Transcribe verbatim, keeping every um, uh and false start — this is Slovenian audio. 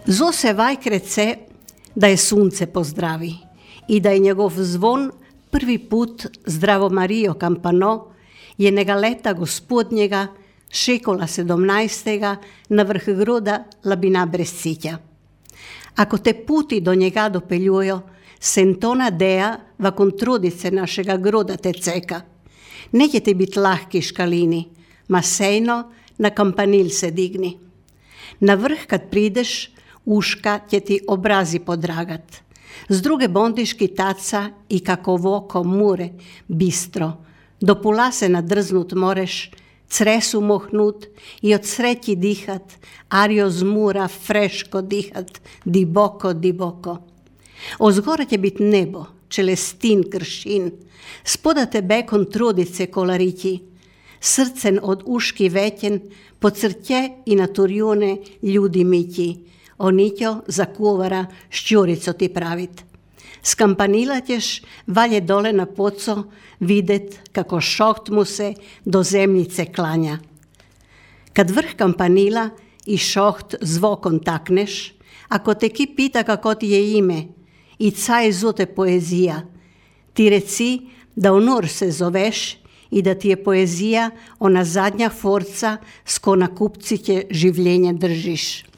Zo se vajkrat se, da je sunce pozdravi i da je njegov zvon prvi put Zdravo Marijo Kampano je nega leta gospodnjega šekola sedemnajstega na vrh groda Labina brez citja. Ako te puti do njega dopeljujo, sentona deja va kontrodice našega groda te ceka. Neće ti bit lahki škalini, ma sejno na kampanil se digni. Na vrh kad prideš, uška će ti obrazi podragat. Z druge bondiški taca i kako voko mure, bistro. Do pula se nadrznut moreš, cresu mohnut i od sreći dihat, ario zmura freško dihat, diboko, diboko. Ozgora će bit nebo, čelestin kršin, spoda tebe kontrodice kolarići, srcen od uški većen, po crtje i na turjune ljudi mići, onićo za kuvara šćurico ti pravit. S kampanila ćeš valje dole na poco videt kako šoht mu se do zemljice klanja. Kad vrh kampanila i šoht zvokon takneš, ako te ki pita kako ti je ime i caj zute poezija, ti reci da onor se zoveš i da ti je poezija ona zadnja forca s ko na kupci će življenje držiš.